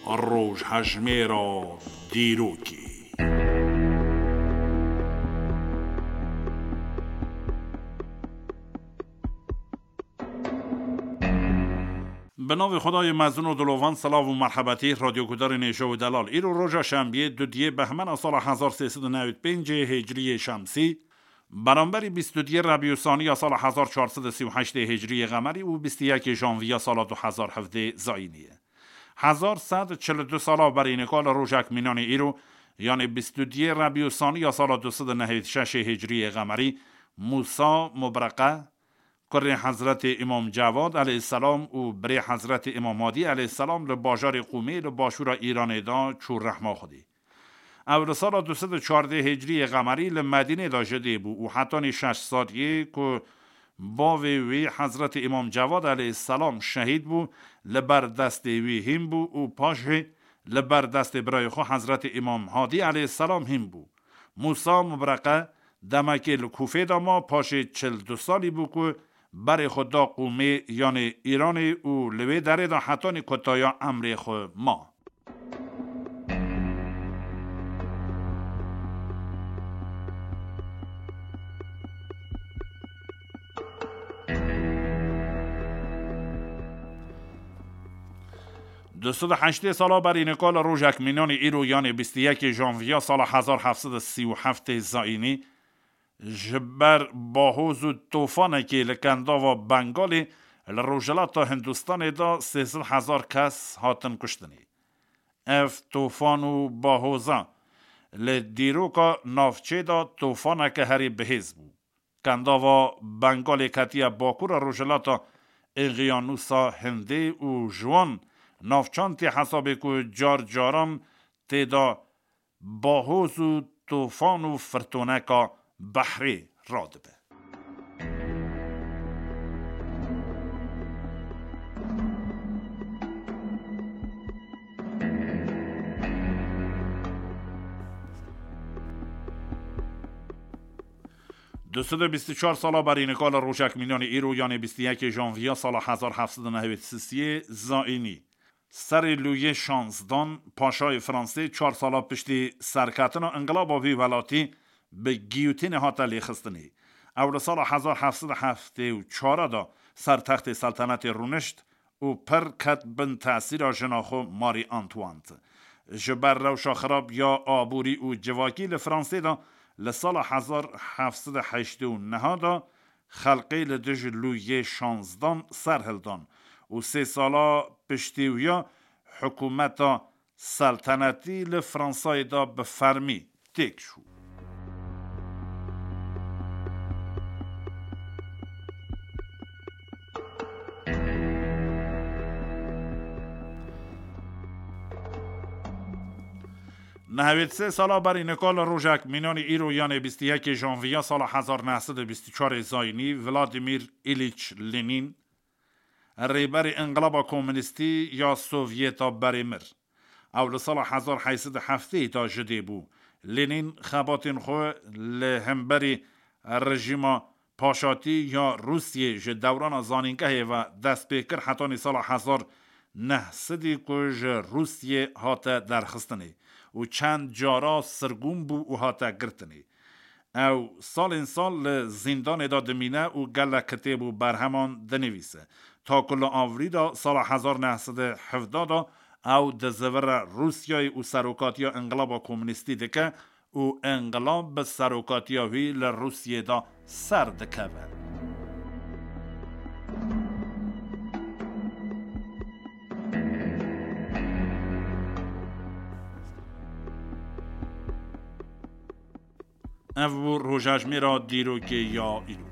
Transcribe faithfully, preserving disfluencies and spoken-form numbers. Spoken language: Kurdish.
Rojhejmêra dîrokê. Bi navê Xwedayê mezin û dilovan, silav û merhebetî, radyogudarên hêja û delal. Îro roja şembiyê, dudiyê behmena sala hezar sê sed û newî pêncê hicriyê şemsî, beramberî bîst û duyê Rebî û Sanî ya sala hezar çar sed û sî û heştê hicriyê qemerî û bîst û yekê janviya sala du hezar hevdê zayînî ye. Hezar sed çil û du sala berî nika li rojek mînanê îro, yanê bîst û duyê Rebî û Sanî ya sala du sed û nehê şeşê hicriyê qemerî, Mûsa Mubreqe, kurê Hezretê Îmam Cewad aleyhisselam û birê Hezretê Îmam Hadî aleyhisselam li bajarê Qûmê li başûra Îranê de çû rehma Xwedê. Ew li sala du sed û çardeh hicriyê qemerî li Medînê de ji dê bû û hetanî şeş saliyê ku bavê wî Hezretê Îmam Cewad aleyhisselam şehîd bû, li ber destê wî hîn bû û paşê li ber destê birayê xwe Hezretê Îmam Hadî aleyhisselam hîn bû. Mûsa Mubreqe demekê li Kûfê de ma, paşê çil du salî bû ku berê xwe da Qûmê, yanê Îranê, û li wê derê de hetanî kotaya emrê xwe ma. Du sed û heştê sala berî nika li rojek mînanî îro, yanê bîst û yekê janviya sala hezar heft sed û sî û heftê zayînî, ji ber bahoz û tofanekê li Kendava Bengalê li rojhilata Hindistanê de sêzdeh hezar kes hatin kuştinê. Ev tofan û bahoza li dîroka navçê de tofaneke herî bihêz bû. Kendava Bengalê ketiye bakura rojhilata Eqyanûsa Hindê û ji wan navçan tê hesabê ku car caran tê de bahoz û tofan û firtoneka behrê radibe. Du sed û bîst û çar sala berî nika li rojek mînanê îro, yanê bîst û yekê janviya sala hezar heft sed û nehwêd sisiyê zayînî, serê Lûyê şansdan, paşayê Fransê, çar sala piştî serketina înqilaba vî welatî bi giyotînê hate lêxistinê. Ew li sala hezar heft sed û heftê û çar de ser textê seltenetê rûnişt û pir ket bin tesîra jina xwe Marie Antoinette. Ji ber rewşa xirab ya aborî û civakî li Fransê de li sala hezar heft sed û heştê û neh de xelkê li dij Lûyê şansdan ser hildan û sê sala piştî wî ya hikûmeta seltenetî li Fransayê de bi fermî têk çû. Nehwêd sê sala berî nika li rojek mînanî îro, yanê bîst û yekê janviya sala hezar neh sed û bîst û çarê zayînî, Vladimir Îlîç Lenîn, rêberê înqilaba komûnîstî ya Sovyeta berê mir. Ew li sala hezar heyt sed û heftê de ji dê bû. Lenîn xebatên xwe li hemberî rejîma paşatî ya Rûsiyê ji dewrana zanîngehê ve dest pê kir, hetanî sala hezar neh sedî ku ji Rûsiyê hate derxistinê û çend cara sirgûn bû û hate girtinê. Ew salên sal li zîndanê de dimîne û gelek kitêb û berheman dinivîse. Ta ku li avrî de sala hezar neh sed û hevdeh de ew dizivire Rûsyayê û serokatiya înqilaba komûnîstî dike û înqilab bi serokatiya wî li Rûsiyê de ser dikeve. Ev bû rojejmêra dîrokê ya îro.